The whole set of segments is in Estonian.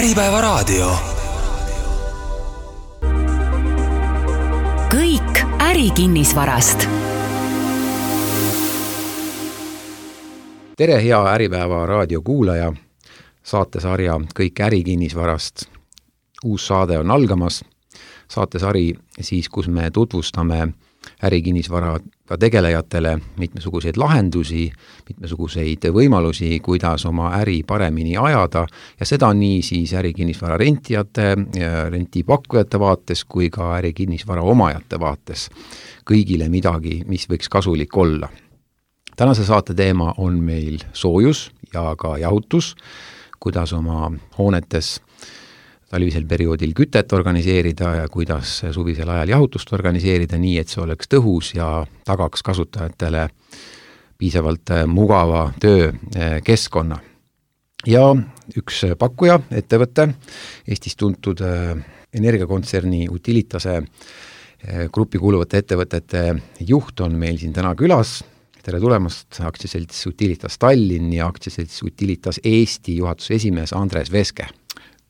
Äripäevaraadio. Kõik ärikinnisvarast. Tere, hea Äripäeva raadio kuulaja, saatesarja Kõik ärikinnisvarast. Uus saade on algamas. Saatesari siis, kus me tutvustame ärikinnisvaraga tegelejatele mitmesuguseid lahendusi, mitmesuguseid võimalusi, kuidas oma äri paremini ajada ja seda nii siis ärikinnisvara rentijate ja rentipakkujate vaates kui ka ärikinnisvara omajate vaates. Kõigile midagi, mis võiks kasulik olla. Tänase saate teema on meil soojus ja ka jahutus, kuidas oma hoonetes talvisel perioodil kütet organiseerida ja kuidas suvisel ajal jahutust organiseerida nii, et see oleks tõhus ja tagaks kasutajatele piisavalt mugava töökeskkonna. Ja üks pakkuja, ettevõte, Eestis tuntud energiakontserni Utilitase gruppi kuuluvate ettevõtete juht on meil siin täna külas. Tere tulemast, aktsiaselts Utilitas Tallinn ja aktsiaselts Utilitas Eesti juhatuse esimees Andres Veske.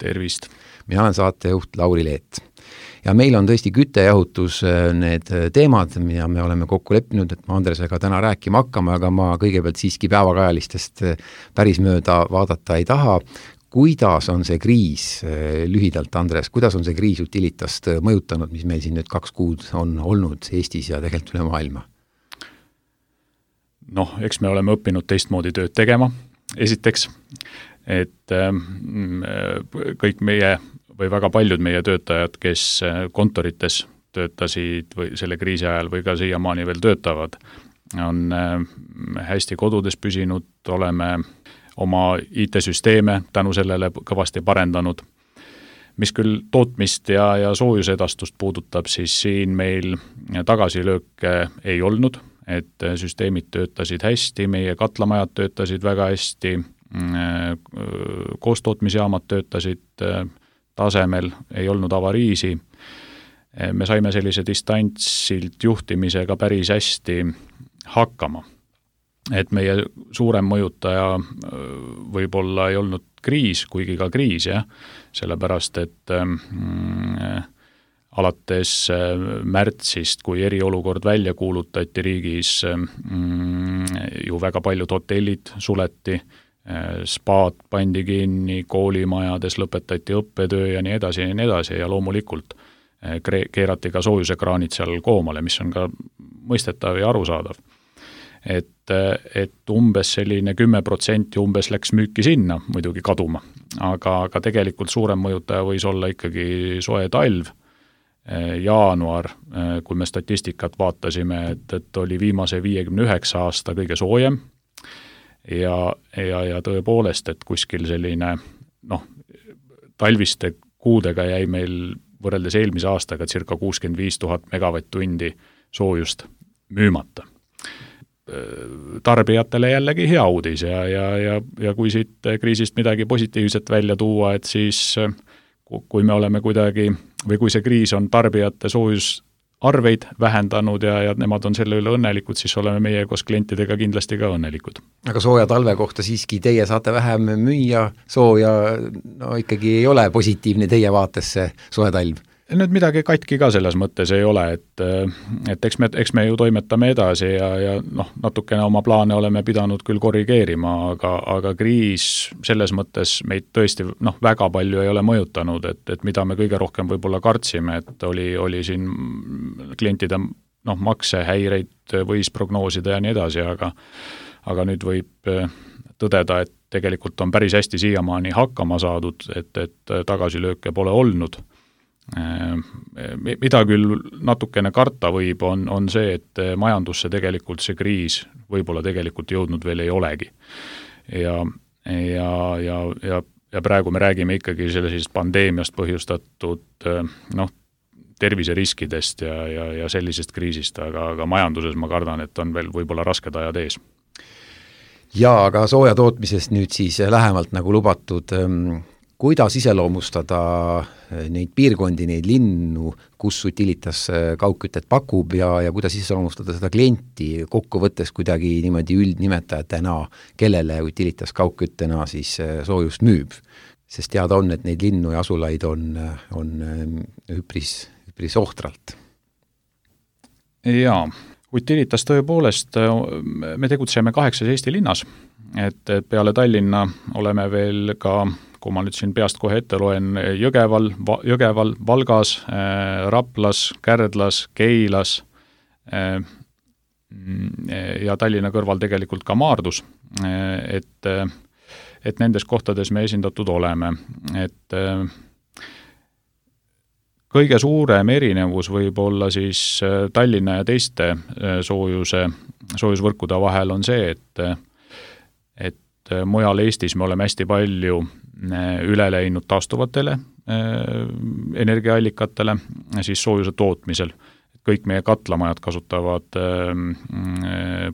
Tervist! Mina olen saatejuht Lauri Leet. Ja meil on tõesti küttejahutus need teemad, mida me oleme kokku leppinud, et ma Andresega täna rääkima hakkama, aga ma kõigepealt siiski päevakajalistest päris mööda vaadata ei taha. Kuidas on see kriis, lühidalt Andres, kuidas on see kriis Utilitast mõjutanud, mis meil siin nüüd 2 kuud on olnud Eestis ja tegelikult üle maailma? Eks me oleme õppinud teistmoodi tööd tegema, esiteks, et kõik meie või väga paljud meie töötajad, kes kontorites töötasid või selle kriisi ajal või ka siiamaani veel töötavad, on hästi kodudes püsinud, oleme oma IT-süsteeme tänu sellele kõvasti parendanud. Mis küll tootmist ja soojusedastust puudutab, siis siin meil tagasilööke ei olnud, et süsteemid töötasid hästi, meie katlamajad töötasid väga hästi, koostootmisjaamad töötasid tasemel, ei olnud avariisi. Me saime sellise distantsilt juhtimisega päris hästi hakkama. Et meie suurem mõjutaja võib-olla ei olnud kriis, kuigi ka kriis, sellepärast, et alates märtsist, kui eriolukord välja kuulutati riigis, ju väga paljud hotellid suleti, spaad pandi kinni, koolimajades lõpetati õppetöö ja nii edasi ja loomulikult keerati ka soojusekraanid seal koomale, mis on ka mõistetav ja arusaadav. Et umbes selline 10% umbes läks müüki sinna, muidugi kaduma, aga tegelikult suurem mõjutaja võis olla ikkagi soe talv, jaanuar, kui me statistikat vaatasime, et oli viimase 59 aasta kõige soojem ja tõepoolest, et kuskil selline talviste kuudega jäi meil võrreldes eelmise aastaga circa 65 000 megavatt-tundi soojust müümata. Tarbijatele jällegi hea uudis ja kui siit kriisist midagi positiivset välja tuua, et siis kui me oleme kuidagi või kui see kriis on tarbijate soojusarveid vähendanud ja nemad on selle üle õnnelikud, siis oleme meie koos klientidega kindlasti ka õnnelikud. Aga sooja talve kohta siiski teie saate vähem müüa, sooja ikkagi ei ole positiivne teie vaates see soe talv? Nüüd midagi katki ka selles mõttes ei ole, et eks me ju toimetame edasi ja natukene oma plaane oleme pidanud küll korrigeerima, aga kriis selles mõttes meid tõesti väga palju ei ole mõjutanud, et mida me kõige rohkem võib-olla kartsime, et oli siin klientide maksehäireid võis prognoosida ja nii edasi, aga nüüd võib tõdeda, et tegelikult on päris hästi siiamaani hakkama saadud, et tagasilööke pole olnud. Mida küll natukene karta võib, on see, et majandusse tegelikult see kriis võib-olla tegelikult jõudnud veel ei olegi. Ja praegu me räägime ikkagi sellisest pandeemiast põhjustatud terviseriskidest ja sellisest kriisist, aga majanduses ma kardan, et on veel võib-olla rasked ajad ees. Ja, aga sooja tootmisest nüüd siis lähemalt nagu lubatud, kuidas iseloomustada neid piirkondi, neid linnu, kus Utilitas kaugkütet pakub ja kuidas iseloomustada seda klienti kokkuvõttes kuidagi niimoodi üldnimetajatena, kellele Utilitas kaugküttena siis soojust müüb. sest teada on, et neid linnu ja asulaid on üpris ohtralt. Jaa, Utilitas tõepoolest, me tegutseme 8 Eesti linnas, et peale Tallinna oleme veel ka, kui ma nüüd siin peast kohe ette loen, Jõgeval, Valgas, Raplas, Kärdlas, Keilas ja Tallinna kõrval tegelikult ka Maardus, et nendes kohtades me esindatud oleme, et kõige suurem erinevus võib olla siis Tallinna ja teiste soojusvõrkude vahel on see, et mujal Eestis me oleme hästi palju üle läinud taastuvatele energiaallikatele siis soojuse tootmisel. Kõik meie katlamajad kasutavad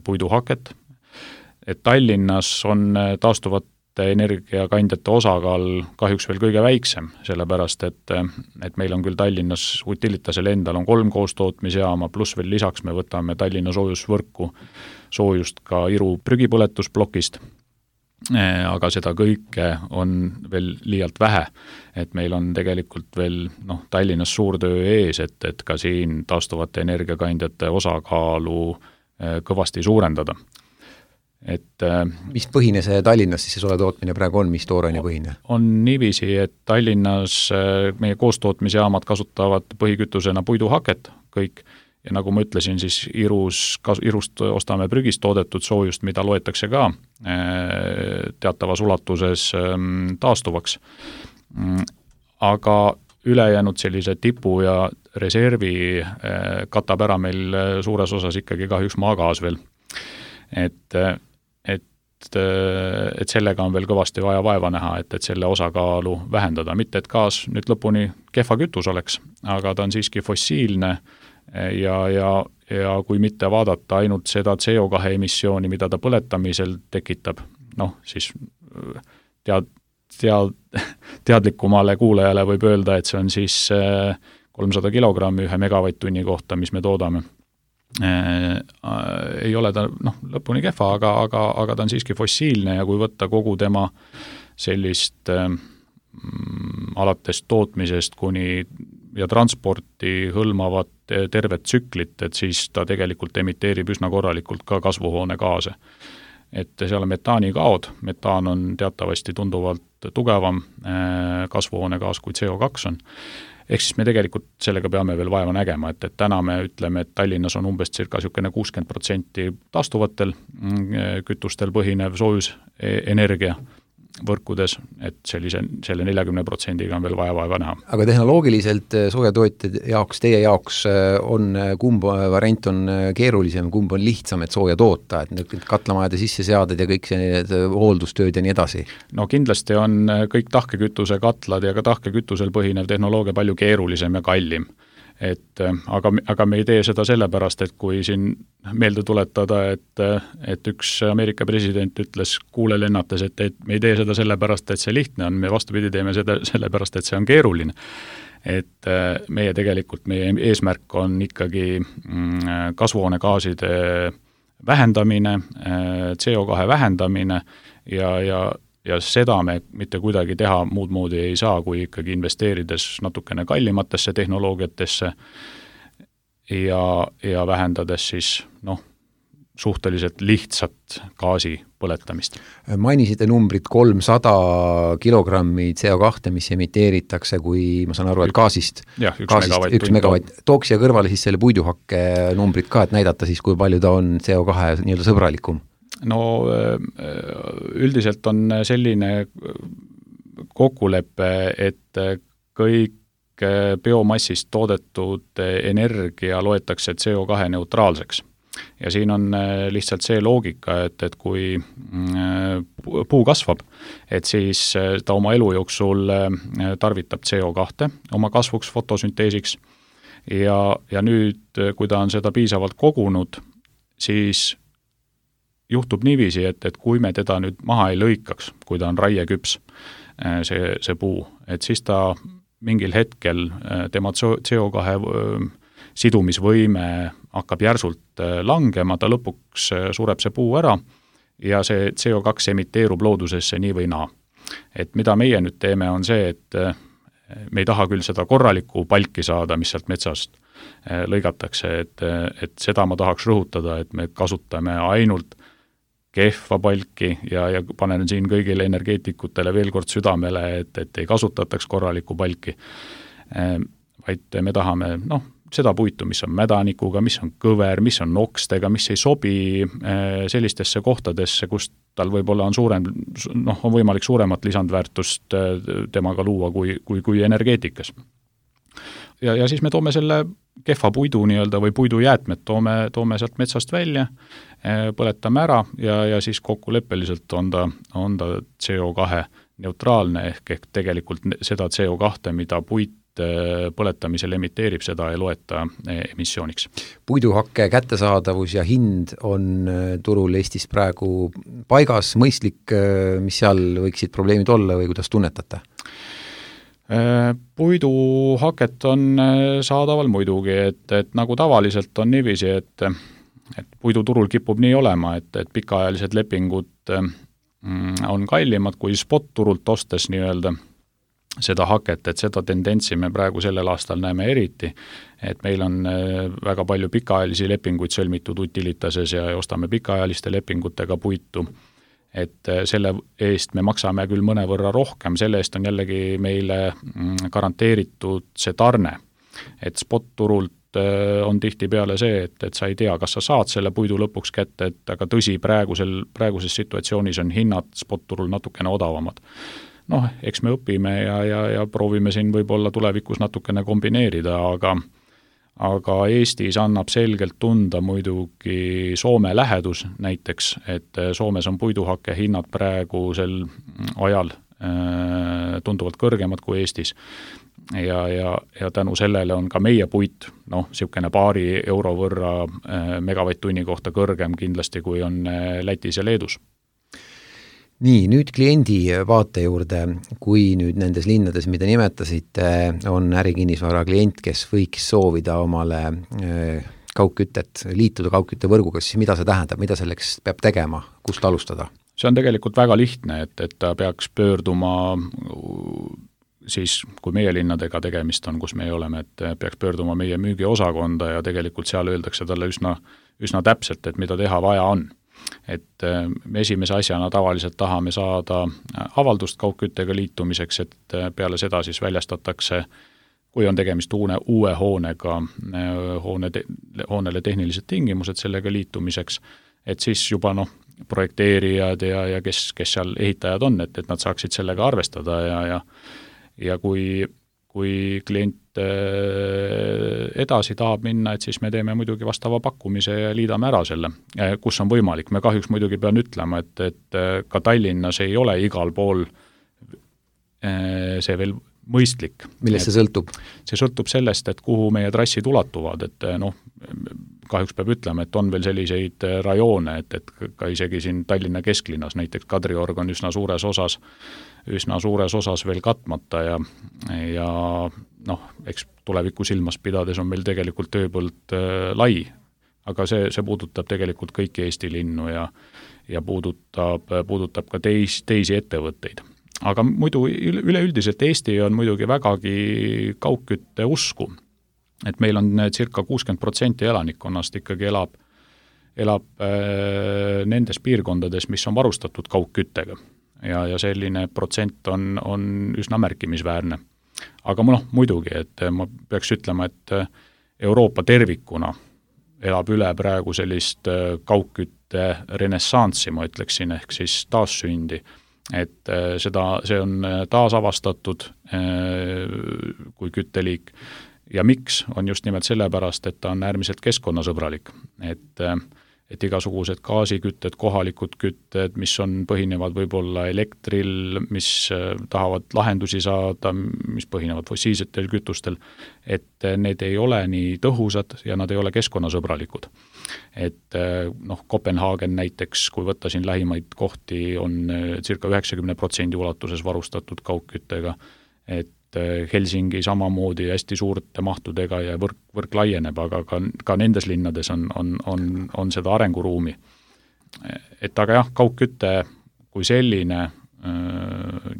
puiduhaket. Et Tallinnas on taastuvate energiakandjate osakaal kahjuks veel kõige väiksem, sellepärast, et meil on küll Tallinnas Utilitasel endal on 3 koostootmisjaama, pluss veel lisaks me võtame Tallinna soojusvõrku soojust ka Iru prügipõletusplokist, aga seda kõike on veel liialt vähe, et meil on tegelikult veel Tallinnas suur töö ees, et ka siin taastuvate energiakandjate osakaalu kõvasti suurendada. Mis põhine see Tallinnas siis see soe tootmine praegu on, mis tooraine põhine? On niiviisi, et Tallinnas meie koostootmisjaamad kasutavad põhikütusena puiduhaket kõik ja nagu ma ütlesin, siis Irust ostame prügist toodetud soojust, mida loetakse ka teatavas ulatuses taastuvaks. Aga ülejäänud sellise tipu ja reservi katab ära meil suures osas ikkagi kahjuks maagaas veel. Et sellega on veel kõvasti vaja vaeva näha, et selle osakaalu vähendada. Mitte, et gaas nüüd lõpuni kehva kütus oleks, aga ta on siiski fossiilne ja kui mitte vaadata ainult seda CO2 emissiooni, mida ta põletamisel tekitab, siis teadlikumale kuulajale võib öelda, et see on siis 300 kilogrammi 1 megavatt-tunni kohta, mis me toodame. Ei ole ta lõpuni kehva, aga ta on siiski fossiilne ja kui võtta kogu tema sellist alates tootmisest kuni ja transporti hõlmavat tervet tsüklit, et siis ta tegelikult emiteerib üsna korralikult ka kasvuhoonegaase. Et seal on metaanikaod, metaan on teatavasti tunduvalt tugevam kasvuhoonegaas kui CO2 on. Ehk siis me tegelikult sellega peame veel vaeva nägema, et täna me ütleme, et Tallinnas on umbes circa 60% taastuvatel kütustel põhinev soojusenergia võrkudes, et selle 40% on veel vaeva näha. Aga tehnoloogiliselt soojatootjad jaoks, teie jaoks on kumb variant on keerulisem, kumb on lihtsam, et sooja toota, et need katlamajade sisseseaded ja kõik see hooldustööd ja nii edasi? No kindlasti on kõik tahkekütuse katlad ja ka tahkekütusel põhinev tehnoloogia palju keerulisem ja kallim. Aga me ei tee seda sellepärast, et kui siin meelde tuletada, et üks Ameerika president ütles kuule lennates, et me ei tee seda sellepärast, et see lihtne on, me vastupidi teeme seda sellepärast, et see on keeruline. Et meie eesmärk on ikkagi kasvuhoonegaaside vähendamine, CO2 vähendamine ja seda me mitte kuidagi teha muud moodi ei saa, kui ikkagi investeerides natukene kallimatesse tehnoloogiatesse ja vähendades siis suhteliselt lihtsat gaasi põletamist. Mainisite numbrit 300 kilogrammi CO2, mis emiteeritakse, kui ma saan aru, et gaasist. Jah, 1 megavatt. Tooks siia kõrvale siis selle puiduhakke numbrit ka, et näidata siis, kui palju ta on CO2 nii-öelda sõbralikum. No üldiselt on selline kokkulepe, et kõik biomassist toodetud energia loetakse CO2 neutraalseks. Ja siin on lihtsalt see loogika, et kui puu kasvab, et siis ta oma elu jooksul tarvitab CO2 oma kasvuks fotosünteesiks ja nüüd, kui ta on seda piisavalt kogunud, siis juhtub niiviisi, et kui me teda nüüd maha ei lõikaks, kui ta on raieküps, see puu, et siis ta mingil hetkel tema CO2 sidumisvõime hakkab järsult langema, ta lõpuks sureb see puu ära ja see CO2 emiteerub loodusesse nii või naa. Et mida meie nüüd teeme, on see, et me ei taha küll seda korralikku palki saada, mis sealt metsast lõigatakse, et seda ma tahaks rõhutada, et me kasutame ainult kehva palki ja panen siin kõigile energeetikutele veel kord südamele, et ei kasutataks korralikku palki, vaid me tahame seda puitu, mis on mädanikuga, mis on kõver, mis on nokstega, mis ei sobi sellistesse kohtadesse, kus tal võib-olla on võimalik suuremat lisandväärtust temaga luua kui energeetikas. Ja siis me toome selle kehva puidu nii-öelda või puidujäätmed, toome sealt metsast välja, põletame ära ja siis kokkuleppeliselt on ta CO2 neutraalne ehk tegelikult seda CO2, mida puit põletamisel emiteerib, seda ei loeta emissiooniks. Puiduhakke kättesaadavus ja hind on turul Eestis praegu paigas, mõistlik, mis seal võiksid probleemid olla või kuidas tunnetate? Puiduhaket on saadaval muidugi, et nagu tavaliselt on niiviisi, et puiduturul kipub nii olema, et pikaajalised lepingud on kallimad kui spot-turult ostes nii-öelda seda haket, et seda tendentsi me praegu sellel aastal näeme eriti, et meil on väga palju pikaajalisi lepinguid sõlmitud Utilitases ja ostame pikaajaliste lepingutega puitu, et selle eest me maksame küll mõnevõrra rohkem, selle eest on jällegi meile garanteeritud see tarne, et spot-turult on tihtipeale see, et sa ei tea, kas sa saad selle puidu lõpuks kätte, aga tõsi, praeguses situatsioonis on hinnad spot-turul natukene odavamad. Eks me õpime ja proovime siin võib-olla tulevikus natukene kombineerida, aga Eestis annab selgelt tunda muidugi Soome lähedus näiteks, et Soomes on puiduhakke hinnad praegusel ajal tunduvalt kõrgemad kui Eestis. Ja tänu sellele on ka meie puit, niisugune paari euro võrra megavatt-tunni kohta kõrgem kindlasti, kui on Lätis ja Leedus. Nii, nüüd kliendi vaate juurde, kui nüüd nendes linnades, mida nimetasite, on ärikinnisvara klient, kes võiks soovida omale kaugkütet, liituda kaugküttevõrguga, siis mida see tähendab, mida selleks peab tegema, kust alustada? See on tegelikult väga lihtne, et ta peaks pöörduma siis, kui meie linnadega tegemist on, kus me oleme, et peaks pöörduma meie müügiosakonda ja tegelikult seal öeldakse talle üsna täpselt, et mida teha vaja on. Et me esimese asjana tavaliselt tahame saada avaldust kaugküttega liitumiseks, et peale seda siis väljastatakse, kui on tegemist uue hoonega, hoonele tehnilised tingimused sellega liitumiseks, et siis juba projekteerijad ja kes seal ehitajad on, et nad saaksid sellega arvestada ja kui klient edasi tahab minna, et siis me teeme muidugi vastava pakkumise ja liidame ära selle, kus on võimalik. Me kahjuks muidugi pean ütlema, et ka Tallinnas ei ole igal pool see veel mõistlik. Millest see sõltub? See sõltub sellest, et kuhu meie trassid ulatuvad, et kahjuks peab ütlema, et on veel selliseid rajoone, et ka isegi siin Tallinna kesklinnas, näiteks Kadriorg on üsna suures osas veel katmata ja eks tuleviku silmas pidades on meil tegelikult tööpõld lai, aga see puudutab tegelikult kõiki Eesti linnu ja puudutab ka teisi ettevõtteid. Aga muidu üleüldiselt Eesti on muidugi vägagi kaugkütte usku, et meil on circa 60% elanikkonnast ikkagi elab nendes piirkondades, mis on varustatud kaugküttega ja selline protsent on üsna märkimisväärne. Aga muidugi, et ma peaks ütlema, et Euroopa tervikuna elab üle praegu sellist kaugkütte renessanssi, ma ütleksin, ehk siis taassündi, et see on taasavastatud kui kütteliik ja miks on just nimelt sellepärast, et ta on äärmiselt keskkonnasõbralik, et igasugused gaasikütted, kohalikud kütted, mis põhinevad võib-olla elektril, mis tahavad lahendusi saada, mis põhinevad fossiilsetel kütustel, et need ei ole nii tõhusad ja nad ei ole keskkonnasõbralikud. Et Kopenhaagen näiteks, kui võtta siin lähimaid kohti, on circa 90% ulatuses varustatud kaugküttega, et Helsingi samamoodi hästi suurte mahtudega ja võrk laieneb, aga ka nendes linnades on seda arenguruumi. Et aga jah, kaugkütte kui selline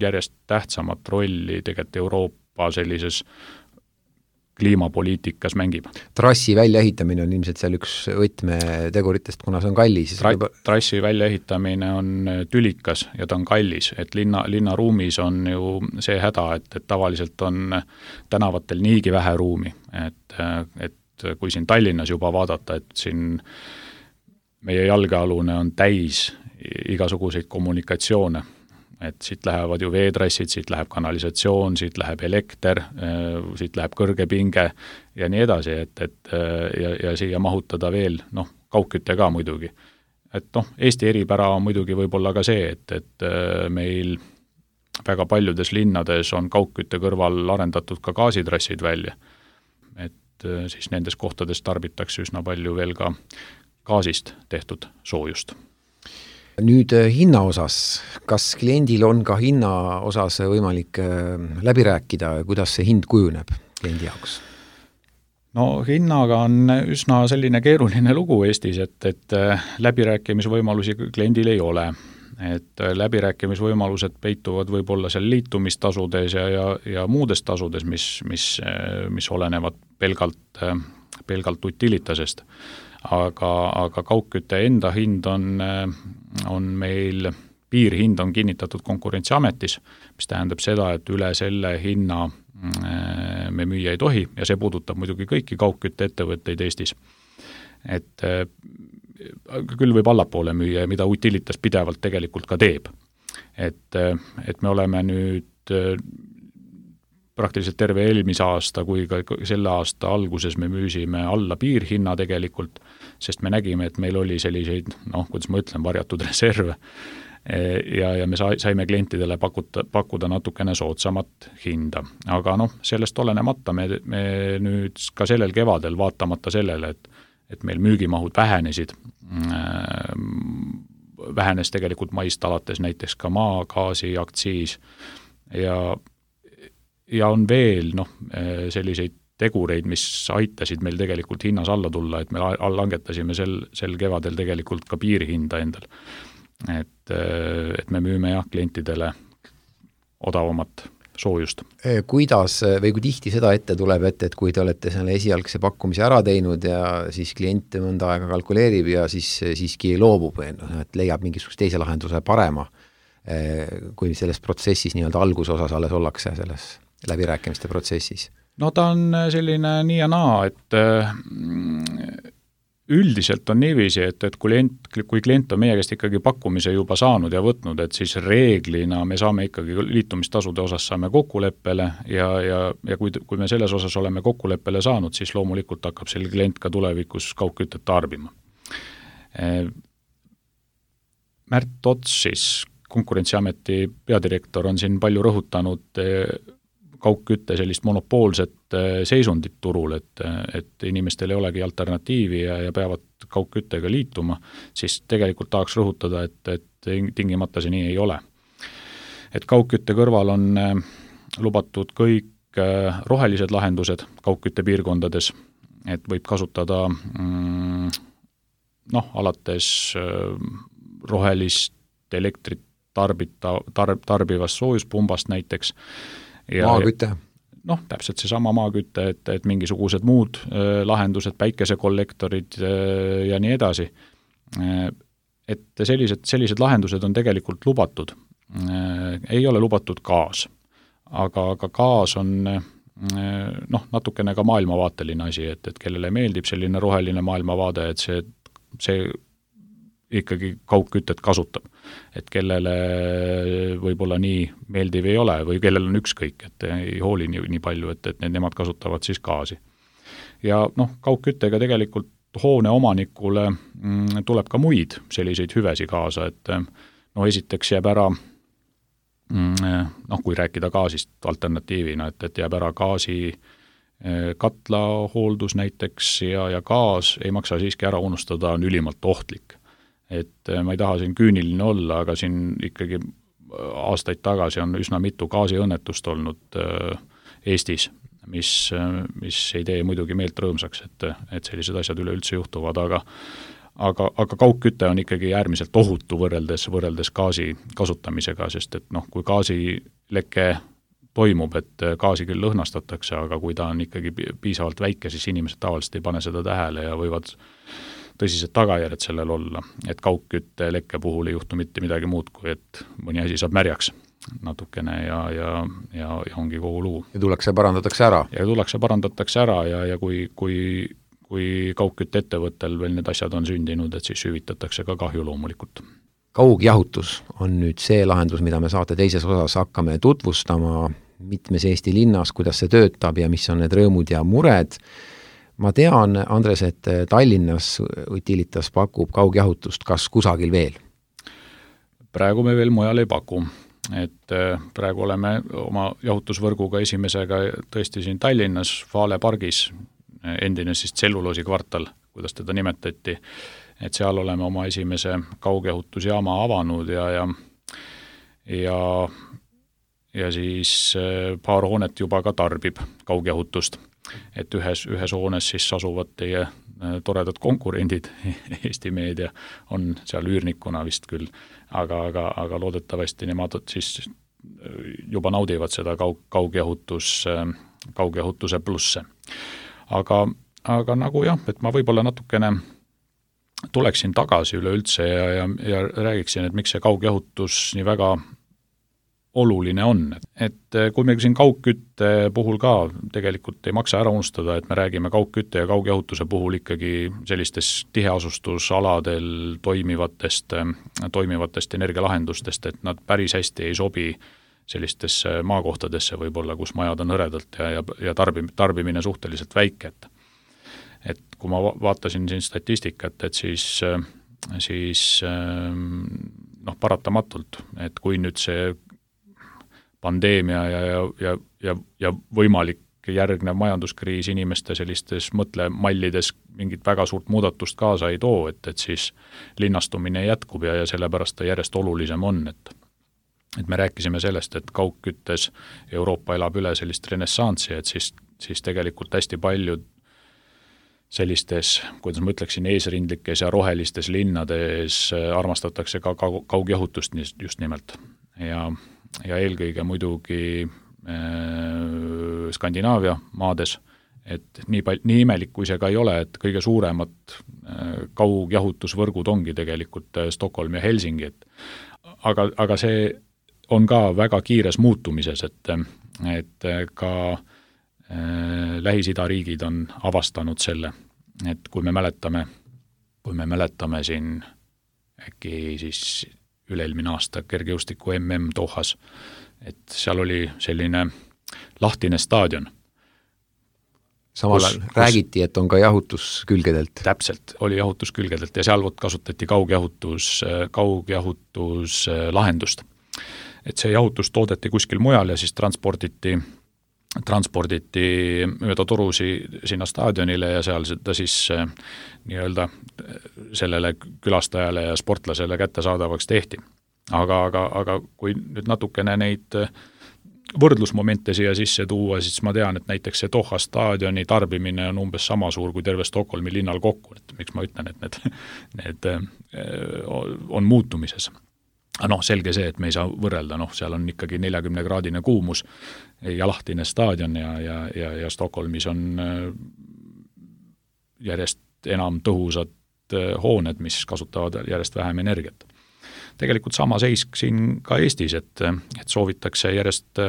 järjest tähtsamat rolli tegelikult Euroopa sellises kliimapoliitikas mängib. Trassi väljaehitamine on ilmselt seal üks võtmeteguritest, kuna see on kallis. Trassi väljaehitamine on tülikas ja ta on kallis, et linnaruumis on ju see häda, et tavaliselt on tänavatel niigi vähe ruumi, et kui siin Tallinnas juba vaadata, et siin meie jalgealune on täis igasuguseid kommunikatsioone, et siit lähevad ju veetrassid, siit läheb kanalisatsioon, siit läheb elekter, siit läheb kõrgepinge ja nii edasi, ja siia mahutada veel, kaugkütte ka muidugi. Et Eesti eripära on muidugi võib-olla ka see, et meil väga paljudes linnades on kaugkütte kõrval arendatud ka gaasitrassid välja. Et siis nendes kohtades tarbitakse üsna palju veel ka gaasist tehtud soojust. Nüüd hinna osas, kas kliendil on ka hinna osas võimalik läbi rääkida, kuidas see hind kujuneb kliendi jaoks? No hinnaga on üsna selline keeruline lugu Eestis, et läbirääkimisvõimalusi kliendil ei ole. Et läbirääkimisvõimalused peituvad võib-olla seal liitumistasudes ja muudes tasudes, mis olenevad pelgalt utilitasest. Aga kaugkütte enda hind on meil, piirhind on kinnitatud Konkurentsiametis, mis tähendab seda, et üle selle hinna me müüa ei tohi ja see puudutab muidugi kõiki kaugkütte ettevõtteid Eestis. Et küll võib allapoole müüa, mida utilitas pidevalt tegelikult ka teeb. Et me oleme nüüd praktiliselt terve eelmise aasta kui ka selle aasta alguses me müüsime alla piirhinna tegelikult, sest me nägime, et meil oli selliseid, kuidas ma ütlen, varjatud reserve ja me saime klientidele pakkuda natukene soodsamat hinda. Aga sellest olenemata me nüüd ka sellel kevadel vaatamata sellele, et meil müügimahud vähenesid, vähenes tegelikult maist alates näiteks ka maagaasi aktsiis ja on veel selliseid tegureid, mis aitasid meil tegelikult hinnas alla tulla, et me langetasime sel kevadel tegelikult ka piirhinda endal. Et me müüme klientidele odavamat soojust. Kuidas või kui tihti seda ette tuleb, et kui te olete selle esialgse pakkumise ära teinud ja siis klient mõnda aega kalkuleerib ja siis siiski loobub, et leiab mingisugust teise lahenduse parema, kui selles protsessis nii-öelda algusosas alles ollakse selles läbirääkimiste protsessis? No ta on selline nii ja naa, et üldiselt on niiviisi, et kui klient on meie käest ikkagi pakkumise juba saanud ja võtnud, et siis reeglina me saame ikkagi liitumistasude osas saame kokkuleppele ja kui me selles osas oleme kokkuleppele saanud, siis loomulikult hakkab selle klient ka tulevikus kaugkütet tarbima. Märt Tots, siis Konkurentsiameti peadirektor, on siin palju rõhutanud kaugkütte sellist monopoolset seisundit turul, et inimestel ei olegi alternatiivi ja peavad kaugküttega liituma, siis tegelikult tahaks rõhutada, et tingimata see nii ei ole. Et kaugkütte kõrval on lubatud kõik rohelised lahendused kaugkütte piirkondades, et võib kasutada alates rohelist elektrit tarbivast soojuspumbast näiteks. Maakütte? Täpselt see sama maakütte, et mingisugused muud lahendused, päikesekollektorid ja nii edasi. Et sellised lahendused on tegelikult lubatud. Ei ole lubatud gaas, aga gaas on natukene ka maailmavaateline asi, et kellele meeldib selline roheline maailmavaade, et see ikkagi kaugkütet kasutab. Et kellele võib-olla nii meeldiv ei ole või kellel on ükskõik, et ei hooli nii palju, et nemad kasutavad siis gaasi. Ja kaugküttega tegelikult hoone omanikule tuleb ka muid selliseid hüvesi kaasa, et esiteks jääb ära, kui rääkida gaasist alternatiivina, et jääb ära gaasi katla hooldus näiteks ja gaas ei maksa siiski ära unustada, on ülimalt ohtlik. Et ma ei taha siin küüniline olla, aga siin ikkagi aastaid tagasi on üsna mitu gaasiõnnetust olnud Eestis, mis ei tee muidugi meelt rõõmsaks, et sellised asjad üleüldse juhtuvad, aga kaugküte on ikkagi äärmiselt ohutu võrreldes gaasi kasutamisega, sest et kui gaasileke toimub, et gaasi küll lõhnastatakse, aga kui ta on ikkagi piisavalt väike, siis inimesed tavaliselt ei pane seda tähele ja võivad tõsised tagajärjed sellel olla, et kaugkütte lekke puhul ei juhtu mitte midagi muud, kui et mõni asi saab märjaks natukene ja ongi kogu lugu. Ja tullakse parandatakse ära ja kui kaugkütte ettevõttel veel need asjad on sündinud, et siis hüvitatakse ka kahju loomulikult. Kaugjahutus on nüüd see lahendus, mida me saate teises osas hakkame tutvustama mitmes Eesti linnas, kuidas see töötab ja mis on need rõõmud ja mured. Ma tean, Andres, et Tallinnas Utilitas pakub kaugjahutust, kas kusagil veel? Praegu me veel mujal ei paku, et praegu oleme oma jahutusvõrguga esimesega tõesti siin Tallinnas, Vale pargis, endine siis tselluloosi kvartal, kuidas teda nimetati, et seal oleme oma esimese kaugjahutusjaama avanud ja siis paar hoonet juba ka tarbib kaugjahutust. Et ühes hoones siis asuvad teie toredad konkurendid, Eesti Meedia on seal üürnikuna vist küll, aga loodetavasti nemad siis juba naudivad seda kaugjahutuse plusse. Aga nagu jah, et ma võib-olla natukene tuleksin tagasi üleüldse ja räägiksin, et miks see kaugjahutus nii väga oluline on. Et kui me siin kaugkütte puhul ka tegelikult ei maksa ära unustada, et me räägime kaugkütte ja kaugjahutuse puhul ikkagi sellistes tiheasustusaladel toimivatest energialahendustest, et nad päris hästi ei sobi sellistesse maakohtadesse võib-olla, kus majad on hõredalt ja tarbimine suhteliselt väike. Et kui ma vaatasin siin statistikat, et siis paratamatult, et kui nüüd see pandeemia ja võimalik järgnev majanduskriis inimeste sellistes mõtlemallides mingit väga suurt muudatust kaasa ei too, et siis linnastumine jätkub ja sellepärast ta järjest olulisem on, et me rääkisime sellest, et kaugküttes Euroopa elab üle sellist renessansi, et siis tegelikult hästi paljud sellistes, kuidas ma ütleksin, eesrindlikes ja rohelistes linnades armastatakse ka kaugjahutust just nimelt. Ja eelkõige muidugi Skandinaavia maades, et nii imelik kui see ka ei ole, et kõige suuremad kaugjahutusvõrgud ongi tegelikult Stockholm ja Helsingi, aga see on ka väga kiires muutumises, et ka Lähis-Ida riigid on avastanud selle, et kui me mäletame siin äkki siis üle-eelmine aasta kergejõustiku MM Dohas, et seal oli selline lahtine staadion. Samal ajal räägiti, et on ka jahutuskülgedelt. Täpselt, oli jahutuskülgedelt ja seal kasutati kaugjahutuslahendust. Et see jahutus toodeti kuskil mujal ja siis transporditi mööda torusi sinna staadionile ja seal seda siis nii-öelda sellele külastajale ja sportlasele kättesaadavaks tehti. Aga kui nüüd natukene neid võrdlusmomente siia sisse tuua, siis ma tean, et näiteks see Doha staadioni tarbimine on umbes sama suur kui terve Stockholmi linnal kokku, et miks ma ütlen, et need on muutumises. Selge see, et me ei saa võrrelda, seal on ikkagi 40-kraadine kuumus ja lahtine staadion ja Stockholmis on järjest enam tõhusad hooned, mis kasutavad järjest vähem energiat. Tegelikult sama seis siin ka Eestis, et soovitakse järjest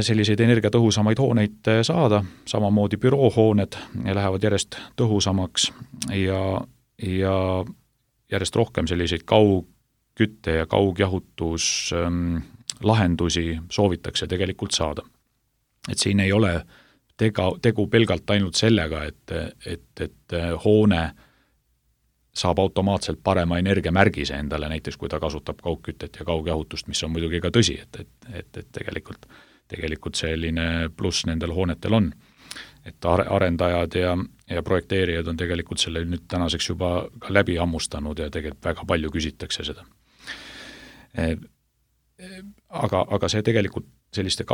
selliseid energiatõhusamaid hooneid saada, samamoodi büroohooned lähevad järjest tõhusamaks ja järjest rohkem selliseid kaugkütte ja kaugjahutus lahendusi soovitakse tegelikult saada. Et siin ei ole tegu pelgalt ainult sellega, et hoone saab automaatselt parema energiamärgise endale, näiteks kui ta kasutab kaugkütet ja kaugjahutust, mis on muidugi ka tõsi, et tegelikult selline pluss nendel hoonetel on. Et arendajad ja projekteerijad on tegelikult selle nüüd tänaseks juba ka läbi hammustanud ja tegelikult väga palju küsitakse seda. Aga see tegelikult selliste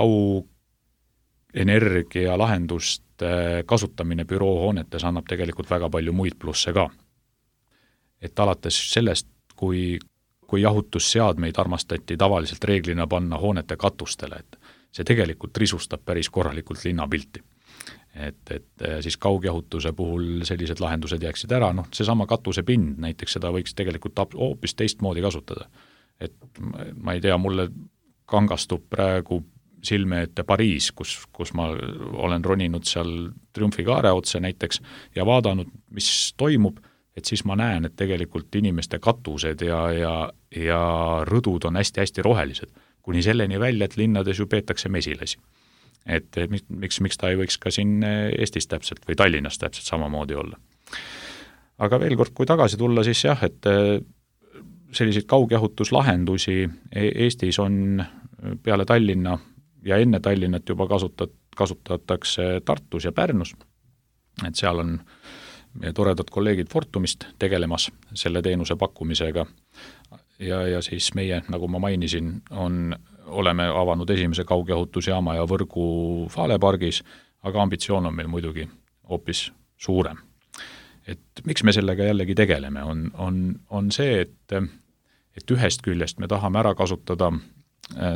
energialahenduste kasutamine büroohoonetes annab tegelikult väga palju muid plusse ka. Et alates sellest, kui jahutusseadmeid armastati tavaliselt reeglina panna hoonete katustele, et see tegelikult risustab päris korralikult linnapilti. Et siis kaugjahutuse puhul sellised lahendused jääksid ära, seesama katusepind, näiteks seda võiks tegelikult hoopis teistmoodi kasutada. Et ma ei tea, mulle kangastub praegu silme ette Pariis, kus ma olen roninud seal Triumfikaare otse näiteks ja vaadanud, mis toimub, et siis ma näen, et tegelikult inimeste katused ja rõdud on hästi-hästi rohelised, kuni selleni välja, et linnades ju peetakse mesilasi. Et miks ta ei võiks ka siin Eestis täpselt või Tallinnas täpselt samamoodi olla. Aga veel kord, kui tagasi tulla, siis jah, et selliseid kaugjahutuslahendusi Eestis on peale Tallinna ja enne Tallinnat juba kasutatakse Tartus ja Pärnus, et seal on meie toredad kolleegid Fortumist tegelemas selle teenuse pakkumisega ja siis meie, nagu ma mainisin, oleme avanud esimese kaugjahutusjaama ja võrgu Falepargis, aga ambitsioon on meil muidugi hoopis suurem. Et miks me sellega jällegi tegeleme, on see, et ühest küljest me tahame ära kasutada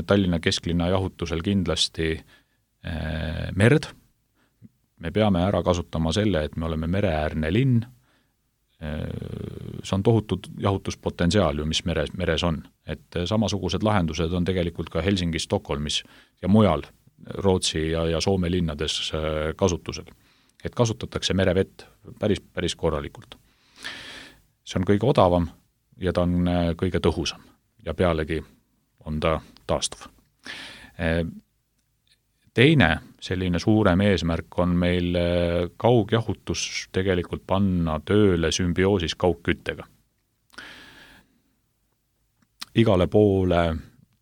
Tallinna kesklinna jahutusel kindlasti merd. Me peame ära kasutama selle, et me oleme mereäärne linn. See on tohutud jahutuspotentsiaal ju, mis meres on. Et samasugused lahendused on tegelikult ka Helsingis, Stockholmis ja mujal Rootsi ja Soome linnades kasutusel. Et kasutatakse merevett päris korralikult. See on kõige odavam ja ta on kõige tõhusam ja pealegi on ta taastuv. Teine selline suurem eesmärk on meil kaugjahutus tegelikult panna tööle sümbioosis kaugküttega. Igale poole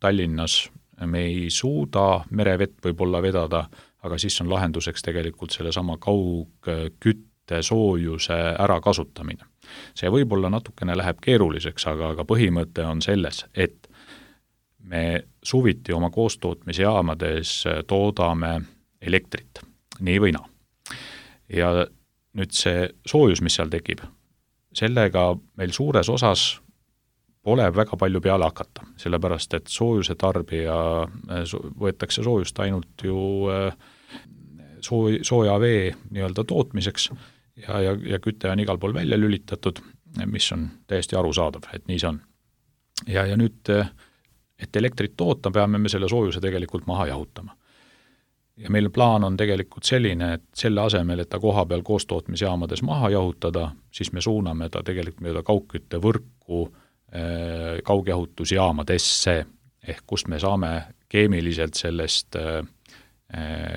Tallinnas me ei suuda merevett võib-olla vedada, aga siis on lahenduseks tegelikult sellesama kaugkütte soojuse ära kasutamine. See võib-olla natukene läheb keeruliseks, aga põhimõte on selles, et me suviti oma koostootmisjaamades toodame elektrit, nii või naa. Ja nüüd see soojus, mis seal tekib, sellega meil suures osas pole väga palju peale hakata, sellepärast et soojuse tarbija võetakse soojust ainult ju sooja vee nii-öelda tootmiseks ja küte on igal pool välja lülitatud, mis on täiesti arusaadav, et nii see on. Ja nüüd et elektrit toota, peame me selle soojuse tegelikult maha jahutama. Ja meil plaan on tegelikult selline, et selle asemel, et ta koha peal koostootmisjaamades maha jahutada, siis me suuname ta tegelikult mööda kaugkütte võrku kaugjahutusjaamadesse, ehk kust me saame keemiliselt sellest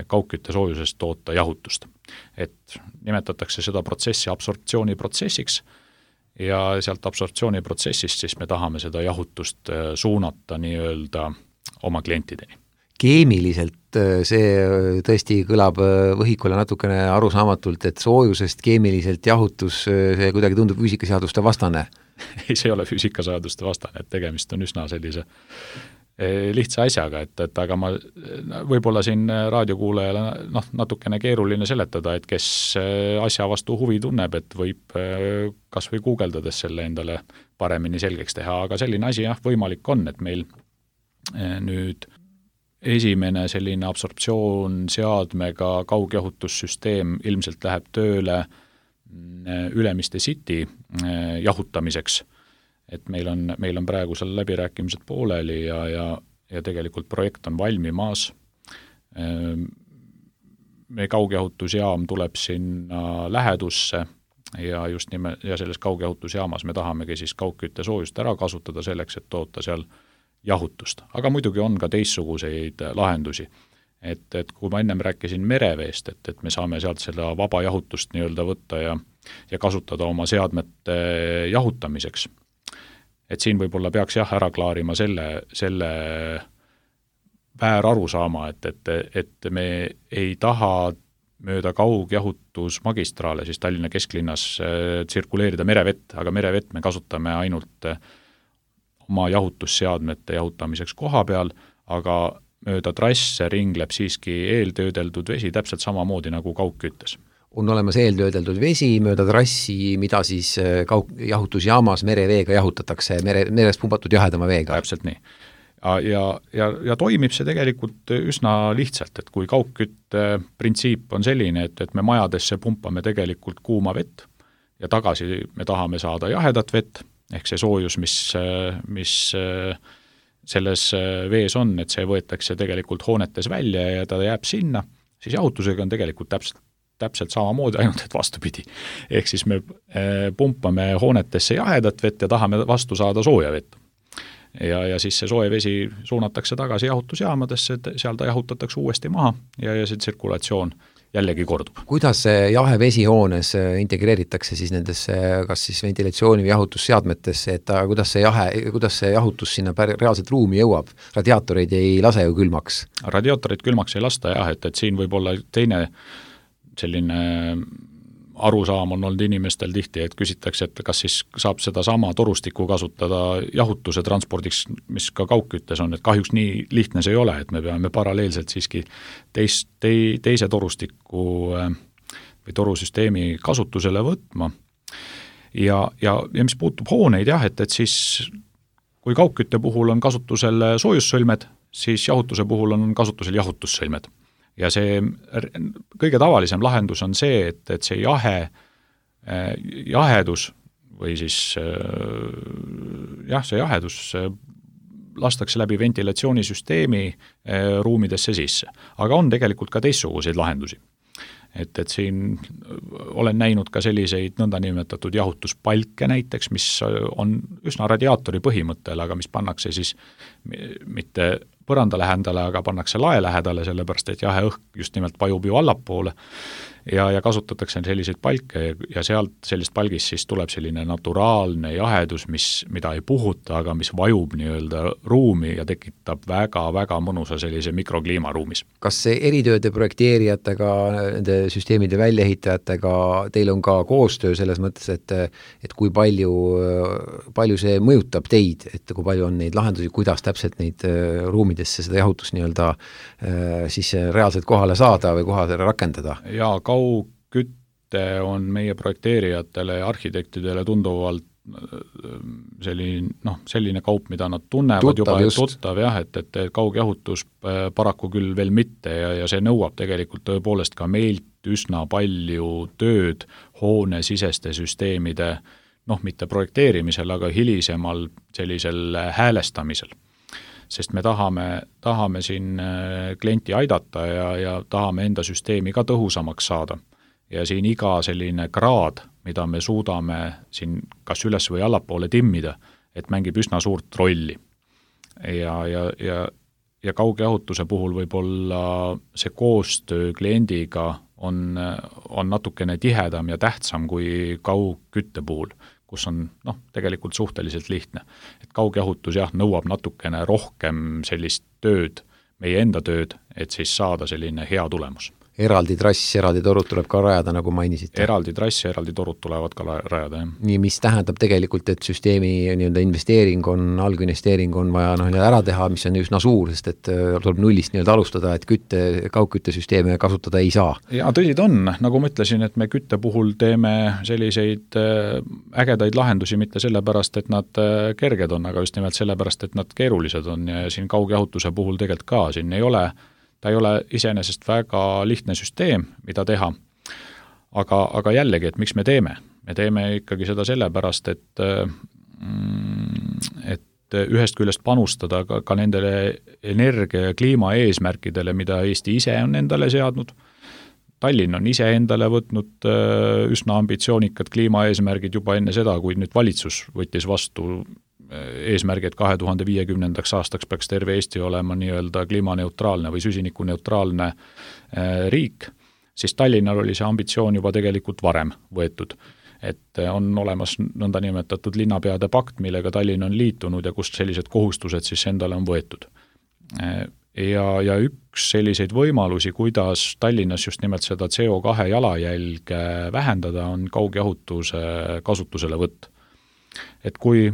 kaugkütte soojusest toota jahutust. Et nimetatakse seda protsessi absorptsiooniprotsessiks, ja sealt absorptsiooniprotsessist siis me tahame seda jahutust suunata nii-öelda oma klientideni. Keemiliselt see tõesti kõlab võhikule natukene arusaamatult, et soojusest keemiliselt jahutus, see kuidagi tundub füüsikaseaduste vastane. Ei, see ei ole füüsikaseaduste vastane, et tegemist on üsna sellise lihtsa asjaga, et aga ma võib-olla siin raadiokuulajale natukene keeruline seletada, et kes asja vastu huvi tunneb, et võib kas või guugeldades selle endale paremini selgeks teha, aga selline asi võimalik on, et meil nüüd esimene selline absorptsioon seadmega kaugjahutussüsteem ilmselt läheb tööle Ülemiste City jahutamiseks. Et meil on praegu seal läbirääkimised pooleli ja tegelikult projekt on valmimas. Meie kaugjahutusjaam tuleb sinna lähedusse ja just ja selles kaugjahutusjaamas me tahamegi siis kaugkütte soojust ära kasutada selleks, et toota seal jahutust. Aga muidugi on ka teistsuguseid lahendusi. Et kui ma ennem rääkisin mereveest, et me saame sealt seda vaba jahutust nii-öelda võtta ja kasutada oma seadmete jahutamiseks. Et siin võib-olla peaks ära klaarima selle väärarusaama, et me ei taha mööda kaugjahutusmagistraale siis Tallinna kesklinnas tsirkuleerida merevett, aga merevett me kasutame ainult oma jahutusseadmete jahutamiseks koha peal, aga mööda trasse ringleb siiski eeltöödeldud vesi täpselt samamoodi nagu kaugküttes. On olemas eeltöödeldud vesi mööda trassi, mida siis jahutusjaamas mereveega jahutatakse, merest pumpatud jahedama veega. Täpselt nii. Ja toimib see tegelikult üsna lihtsalt, et kui kaugkütte printsiip on selline, et me majadesse pumpame tegelikult kuuma vett ja tagasi me tahame saada jahedat vett, ehk see soojus, mis selles vees on, et see võetakse tegelikult hoonetes välja ja ta jääb sinna, siis jahutusega on tegelikult täpselt samamoodi, ainult et vastupidi. Ehk siis me pumpame hoonetesse jahedat vett ja tahame vastu saada sooja vett. Ja siis see soe vesi suunatakse tagasi jahutusjaamadesse, et seal ta jahutatakse uuesti maha ja see tsirkulatsioon jällegi kordub. Kuidas see jahe vesi hoones integreeritakse siis nendesse kas siis ventilatsiooni või jahutusseadmetesse, et kuidas see jahutus sinna reaalselt ruumi jõuab? Radiaatoreid ei lase ju külmaks? Radiaatoreid külmaks ei lasta jah, et siin võib olla teine selline arusaam on olnud inimestel tihti, et küsitakse, et kas siis saab seda sama torustikku kasutada jahutuse transpordiks, mis ka kaugküttes on, et kahjuks nii lihtne see ei ole, et me peame paralleelselt siiski teise torustiku või torusüsteemi kasutusele võtma. Ja mis puutub hooneid jah, et siis kui kaugkütte puhul on kasutusel soojussõlmed, siis jahutuse puhul on kasutusel jahutussõlmed. Ja see kõige tavalisem lahendus on see, et see jahedus või siis see jahedus lastakse läbi ventilatsioonisüsteemi ruumidesse sisse. Aga on tegelikult ka teistsuguseid lahendusi. Et siin olen näinud ka selliseid nõndanimetatud jahutuspalke näiteks, mis on üsna radiaatori põhimõttel, aga mis pannakse siis mitte põranda lähedale, aga pannakse lae lähedale, sellepärast et jahe õhk just nimelt vajub ju allapoole ja kasutatakse selliseid palke ja sealt sellist palgist siis tuleb selline naturaalne jahedus, mida ei puhuta, aga mis vajub nii-öelda ruumi ja tekitab väga-väga mõnusa sellise mikrokliima ruumis. Kas see eritööde projekteerijatega, nende süsteemide väljaehitajatega teil on ka koostöö selles mõttes, et kui palju see mõjutab teid, et kui palju on neid lahendusi, kuidas täpselt neid ruumidesse seda jahutust nii-öelda siis reaalselt kohale saada või kohale rakendada? Ja kaugkütte on meie projekteerijatele ja arhitektidele tunduvalt selline kaup, mida nad tunnevad tuttav jah, et kaugjahutus paraku küll veel mitte ja see nõuab tegelikult tõepoolest ka meilt üsna palju tööd hoonesiseste süsteemide, mitte projekteerimisel, aga hilisemal sellisel häälestamisel. Sest me tahame siin klienti aidata ja tahame enda süsteemi ka tõhusamaks saada. Ja siin iga selline kraad, mida me suudame siin kas üles või allapoole timmida, et mängib üsna suurt rolli. Ja kaugjahutuse puhul võib-olla see koostöö kliendiga on natukene tihedam ja tähtsam kui kaugkütte puhul, kus on tegelikult suhteliselt lihtne. Et kaugjahutus nõuab natukene rohkem sellist tööd, meie enda tööd, et siis saada selline hea tulemus. Eraldi trass, eraldi torud tuleb ka rajada, nagu mainisite. Eraldi trass ja eraldi torud tulevad ka rajada, jah. Nii, mis tähendab tegelikult, et süsteemi nii-öelda investeering on, alginvesteering on vaja ära teha, mis on üsna suur, sest et tuleb nullist nii-öelda alustada, et kaugküttesüsteeme kasutada ei saa. Ja tõsid on, nagu ma ütlesin, et me kütte puhul teeme selliseid ägedaid lahendusi mitte sellepärast, et nad kerged on, aga just nimelt sellepärast, et nad keerulised on ja siin kaugjahutuse puhul tegelikult ka, siin ta ei ole iseenesest väga lihtne süsteem, mida teha. Aga jällegi, et miks me teeme? Me teeme ikkagi seda sellepärast, et ühest küljest panustada ka nendele energia ja kliima eesmärkidele, mida Eesti ise on endale seadnud. Tallinn on ise endale võtnud üsna ambitsioonikad kliimaeesmärgid juba enne seda, kui nüüd valitsus võttis vastu eesmärgi, et 2050. aastaks peaks terve Eesti olema nii-öelda kliimaneutraalne või süsinikuneutraalne riik, siis Tallinnal oli see ambitsioon juba tegelikult varem võetud. Et on olemas nõndanimetatud linnapeade pakt, millega Tallinn on liitunud ja kust sellised kohustused siis endale on võetud. Ja üks selliseid võimalusi, kuidas Tallinnas just nimelt seda CO2 jalajälge vähendada, on kaugjahutuse kasutusele võtt. Et kui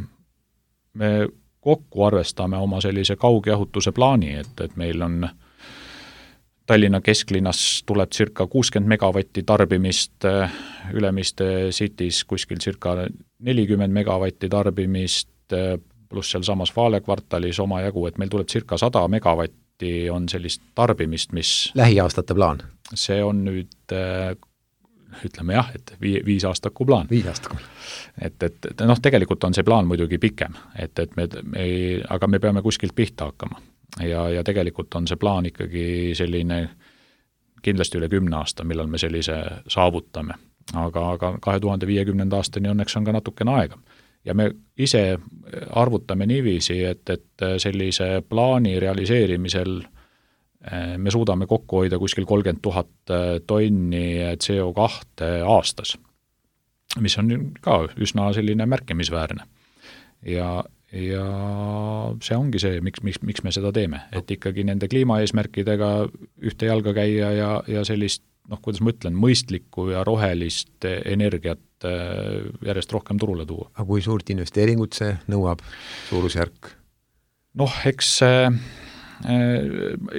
me kokku arvestame oma sellise kaugjahutuse plaani, et meil on Tallinna kesklinnas tuleb circa 60 megavatti tarbimist, Ülemiste Cities kuskil circa 40 megavatti tarbimist, pluss seal samas Vaale kvartalis omajagu, et meil tuleb circa 100 megavatti on sellist tarbimist, mis lähiaastate plaan? See on nüüd, ütleme jah, et 5 aastaku plaan. 5 aastaku. Et tegelikult on see plaan muidugi pikem, aga me peame kuskilt pihta hakkama. Ja tegelikult on see plaan ikkagi selline kindlasti üle 10 aasta, millal me sellise saavutame. Aga 2050 aastani õnneks on ka natukene aega. Ja me ise arvutame niiviisi, et sellise plaani realiseerimisel me suudame kokku hoida kuskil 30 000 tonni CO2 aastas, mis on ka üsna selline märkimisväärne. Ja see ongi see, miks me seda teeme, et ikkagi nende kliimaeesmärkidega ühte jalga käia ja sellist, kuidas ma ütlen, mõistlikku ja rohelist energiat järjest rohkem turule tuua. Aga kui suurt investeeringut see nõuab, suurusjärk? Eks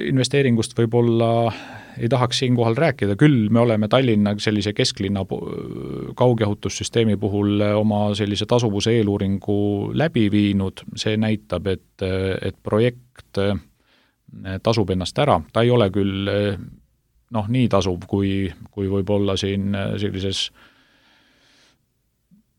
investeeringust võib-olla ei tahaks siinkohal rääkida, küll me oleme Tallinna sellise kesklinna kaugjahutussüsteemi puhul oma sellise tasuvuse eeluuringu läbi viinud, see näitab, et projekt tasub ennast ära, ta ei ole küll nii tasuv, kui võib-olla siin sellises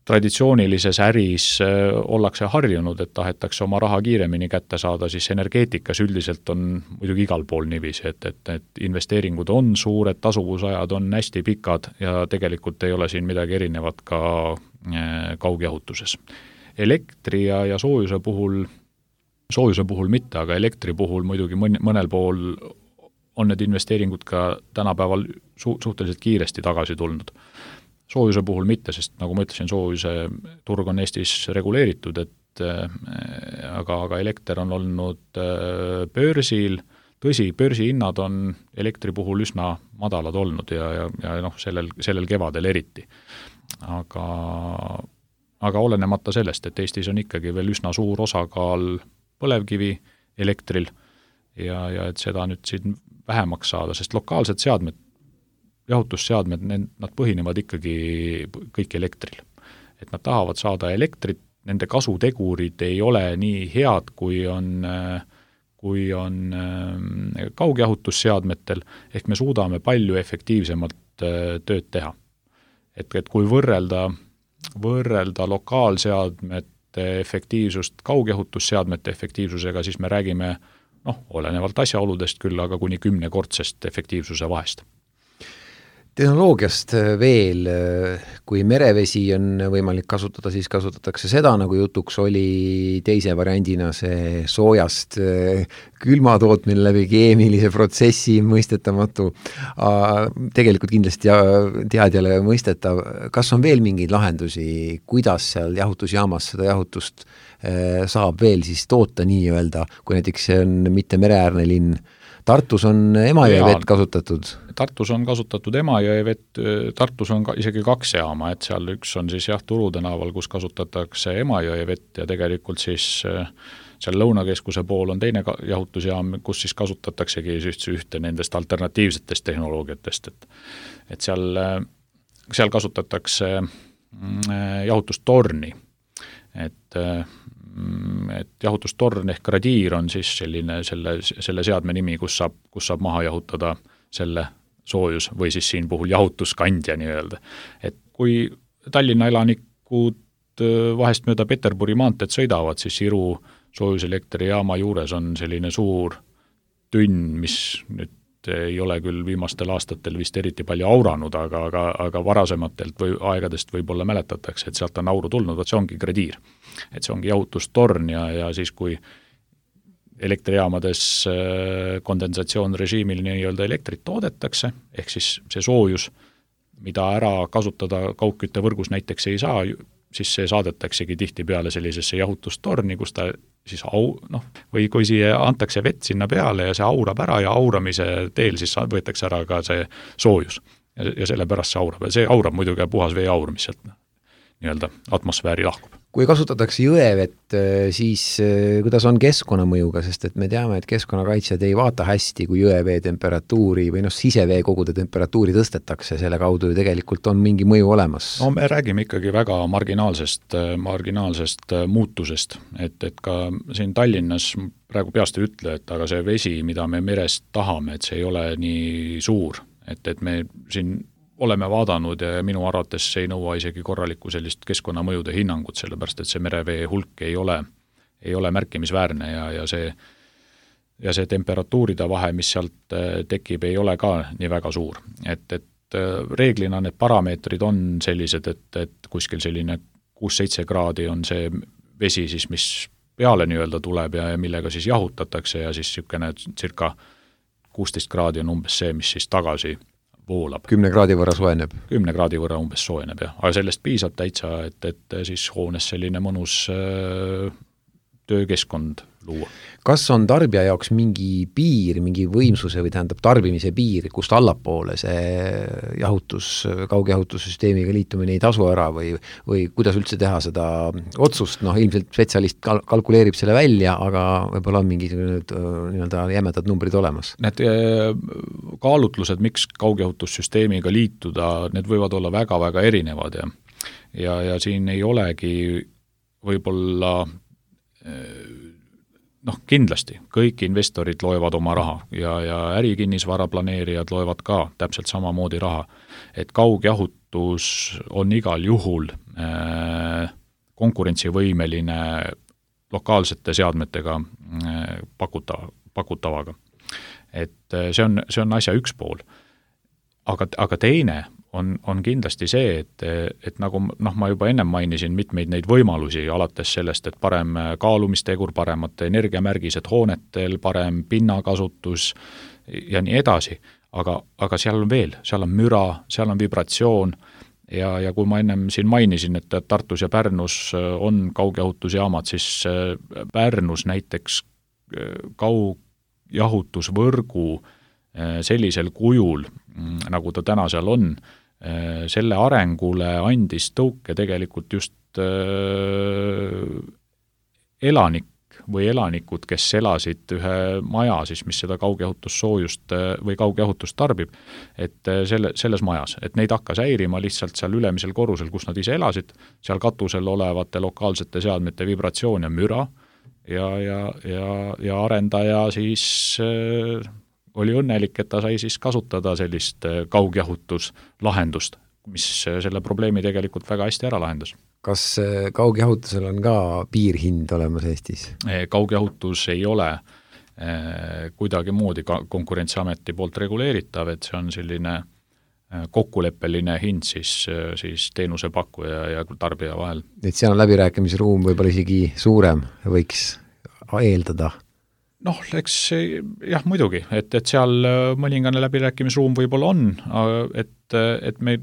traditsioonilises äris ollakse harjunud, et tahetakse oma raha kiiremini kätte saada, siis energeetikas üldiselt on muidugi igal pool niiviisi, et investeeringud on suured, tasuvusajad on hästi pikad ja tegelikult ei ole siin midagi erinevat ka kaugjahutuses. Elektri ja soojuse puhul mitte, aga elektri puhul muidugi mõnel pool on need investeeringud ka tänapäeval suhteliselt kiiresti tagasi tulnud. Soojuse puhul mitte, sest nagu ma ütlesin, soojuse turg on Eestis reguleeritud, aga elekter on olnud börsil, tõsi, börsihinnad on elektri puhul üsna madalad olnud ja sellel kevadel eriti. Aga olenemata sellest, et Eestis on ikkagi veel üsna suur osakaal põlevkivi elektril ja et seda nüüd siin vähemaks saada, sest lokaalsed seadmed, jahutusseadmed, nad põhinevad ikkagi kõik elektril. Et nad tahavad saada elektrit, nende kasutegurid ei ole nii head, kui on kaugjahutusseadmetel, ehk me suudame palju efektiivsemalt tööd teha. Et kui võrrelda lokaalseadmete efektiivsust kaugjahutusseadmete efektiivsusega, siis me räägime, olenevalt asjaoludest küll, aga kuni 10-kordsest efektiivsuse vahest. Tehnoloogiast veel, kui merevesi on võimalik kasutada, siis kasutatakse seda, nagu jutuks oli teise variandina see soojast külmatootmine läbi keemilise protsessi mõistetamatu. Tegelikult kindlasti teadjale mõistetav. Kas on veel mingeid lahendusi, kuidas seal jahutusjaamas seda jahutust saab veel siis toota nii-öelda, kui näiteks see on mitte mereäärne linn? Tartus on Emajõe vett kasutatud? Tartus on kasutatud Emajõe vett, Tartus on isegi 2 jaama, et seal üks on siis Turu tänaval, kus kasutatakse Emajõe vett ja tegelikult siis seal Lõunakeskuse pool on teine jahutusjaam, kus siis kasutataksegi ühte nendest alternatiivsetest tehnoloogiatest, et seal kasutatakse jahutustorni, et jahutustorn ehk gradiir on siis selline selle seadme nimi, kus saab maha jahutada selle soojus või siis siin puhul jahutuskandja nii-öelda. Et kui Tallinna elanikud vahest mööda Peterburi maanteed sõidavad, siis Iru soojuselektrijaama juures on selline suur tünn, mis nüüd ei ole küll viimastel aastatel vist eriti palju auranud, aga varasematelt või aegadest võib-olla mäletatakse, et sealt on auru tulnud, see ongi gradiir. Et see ongi jahutustorn ja siis kui elektrijaamades kondensatsioonrežiimil nii-öelda elektrit toodetakse, ehk siis see soojus, mida ära kasutada kaugküttevõrgus näiteks ei saa, siis see saadetaksegi tihtipeale sellisesse jahutustorni, kus ta siis või kui siia antakse vett sinna peale ja see aurab ära ja auramise teel siis võetakse ära ka see soojus ja sellepärast see aurab. Ja see aurab muidugi puhas vee aur, mis sealt nii-öelda atmosfääri lahkub. Kui kasutatakse jõevett, siis kuidas on keskkonnamõjuga, sest et me teame, et keskkonnakaitsjad ei vaata hästi, kui jõevee temperatuuri või siseveekogude temperatuuri tõstetakse, selle kaudu ju tegelikult on mingi mõju olemas. No me räägime ikkagi väga marginaalsest muutusest, et ka siin Tallinnas praegu peast ei ütle, et aga see vesi, mida me merest tahame, et see ei ole nii suur, et me siin oleme vaadanud ja minu arvates see ei nõua isegi korralikku sellist keskkonnamõjude hinnangut, sellepärast et see merevee hulk ei ole märkimisväärne ja see temperatuuride vahe, mis sealt tekib, ei ole ka nii väga suur. Et reeglina need parameetrid on sellised, et kuskil selline 6-7 kraadi on see vesi siis, mis peale nii-öelda tuleb ja millega siis jahutatakse ja siis niisugune circa 16 kraadi on umbes see, mis siis tagasi voolab. 10 kraadi võrra soojeneb? 10 kraadi võrra umbes soojeneb, jah. Aga sellest piisab täitsa, et siis hoones selline mõnus töökeskkond luua. Kas on tarbija jaoks mingi piir, mingi võimsuse või tähendab tarbimise piir, kust allapoole see kaugjahutussüsteemiga liitumine ei tasu ära või kuidas üldse teha seda otsust? Ilmselt spetsialist kalkuleerib selle välja, aga võib-olla on mingi jämedad numbrid olemas. Need kaalutlused, miks kaugjahutussüsteemiga liituda, need võivad olla väga-väga erinevad ja siin ei olegi võib-olla kindlasti kõik investorid loevad oma raha ja ärikinnisvara planeerijad loevad ka täpselt samamoodi raha, et kaugjahutus on igal juhul konkurentsivõimeline lokaalsete seadmetega pakutavaga. Et see on asja üks pool. Aga teine on kindlasti see, et nagu ma juba ennem mainisin mitmeid neid võimalusi, alates sellest, et parem kaalumistegur, paremad energiamärgised hoonetel, parem pinnakasutus ja nii edasi, aga seal on veel, seal on müra, seal on vibratsioon ja kui ma ennem siin mainisin, et Tartus ja Pärnus on kaugjahutusjaamad, siis Pärnus näiteks kaugjahutusvõrgu sellisel kujul, nagu ta täna seal on, selle arengule andis tõuke tegelikult just elanikud, kes elasid ühe maja, siis, mis seda kaugjahutussoojust või kaugjahutust tarbib, et selles majas, et neid hakkas häirima lihtsalt seal ülemisel korrusel, kus nad ise elasid, seal katusel olevate lokaalsete seadmete vibratsioon ja müra ja arendaja siis oli õnnelik, et ta sai siis kasutada sellist kaugjahutuslahendust, mis selle probleemi tegelikult väga hästi ära lahendas. Kas kaugjahutusel on ka piirhind olemas Eestis? Kaugjahutus ei ole kuidagi moodi Konkurentsiameti poolt reguleeritav, et see on selline kokkuleppeline hind siis teenusepakkuja ja tarbija vahel. Et seal on läbirääkimisruum võib-olla isegi suurem, võiks eeldada? Eks jah, muidugi, et seal mõningane läbirääkimisruum võib-olla on, et me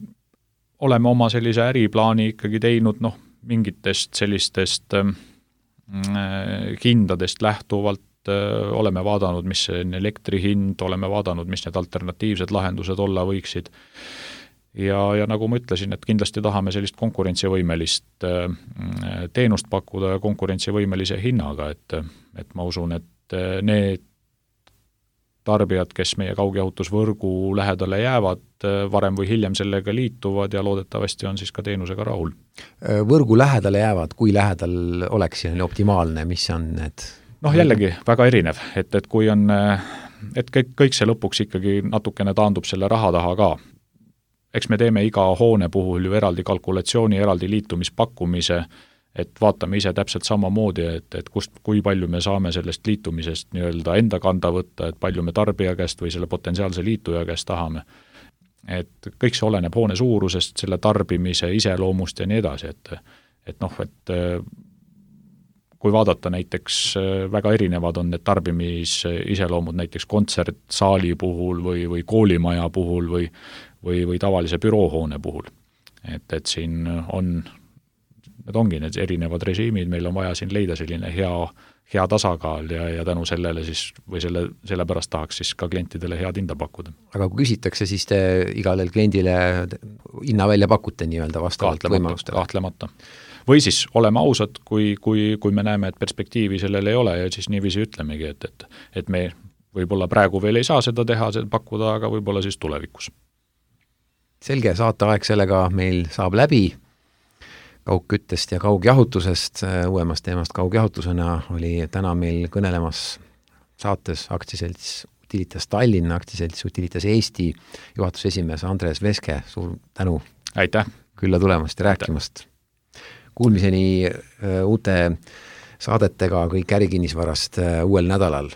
oleme oma sellise äriplaani ikkagi teinud mingitest sellistest hindadest lähtuvalt, oleme vaadanud, mis on elektri hind, oleme vaadanud, mis need alternatiivsed lahendused olla võiksid ja nagu ma ütlesin, et kindlasti tahame sellist konkurentsivõimelist teenust pakkuda ja konkurentsivõimelise hinnaga, et ma usun, et need tarbijad, kes meie kaugjahutusvõrgu lähedale jäävad, varem või hiljem sellega liituvad ja loodetavasti on siis ka teenusega rahul. Võrgu lähedale jäävad, kui lähedal oleks optimaalne, mis on need? Jällegi väga erinev, et kui on, et kõik see lõpuks ikkagi natukene taandub selle raha taha ka. Eks me teeme iga hoone puhul ju eraldi kalkulatsiooni, eraldi liitumispakkumise, et vaatame ise täpselt samamoodi, et kui palju me saame sellest liitumisest nii-öelda enda kanda võtta, et palju me tarbija käest või selle potentsiaalse liituja käest tahame. Et kõik see oleneb hoone suurusest, selle tarbimise iseloomust ja nii edasi, et kui vaadata näiteks väga erinevad on need tarbimisiseloomud näiteks kontsertsaali puhul või koolimaja puhul või tavalise büroohoone puhul. Et siin on need ongi need erinevad režiimid, meil on vaja siin leida selline hea tasakaal ja tänu sellele siis, või selle pärast tahaks siis ka klientidele head hinda pakkuda. Aga kui küsitakse, siis te igale kliendile hinna välja pakute nii-öelda vastavalt võimalustele? Kahtlemata. või siis oleme ausad, kui me näeme, et perspektiivi sellel ei ole ja siis niiviisi ütlemegi, et me võib-olla praegu veel ei saa seda teha, seda pakkuda, aga võib-olla siis tulevikus. Selge, saateaeg sellega meil saab läbi. Kaugküttest ja kaugjahutusest, uuemast teemast kaugjahutusena oli täna meil kõnelemas saates aktsiaselts Utilitas Tallinn, aktsiaselts Utilitas Eesti juhatuse esimees Andres Veske, suur tänu. Aitäh! Külla tulemast ja rääkimast. Kuulmiseni uute saadetega kõik ärikinnisvarast uuel nädalal.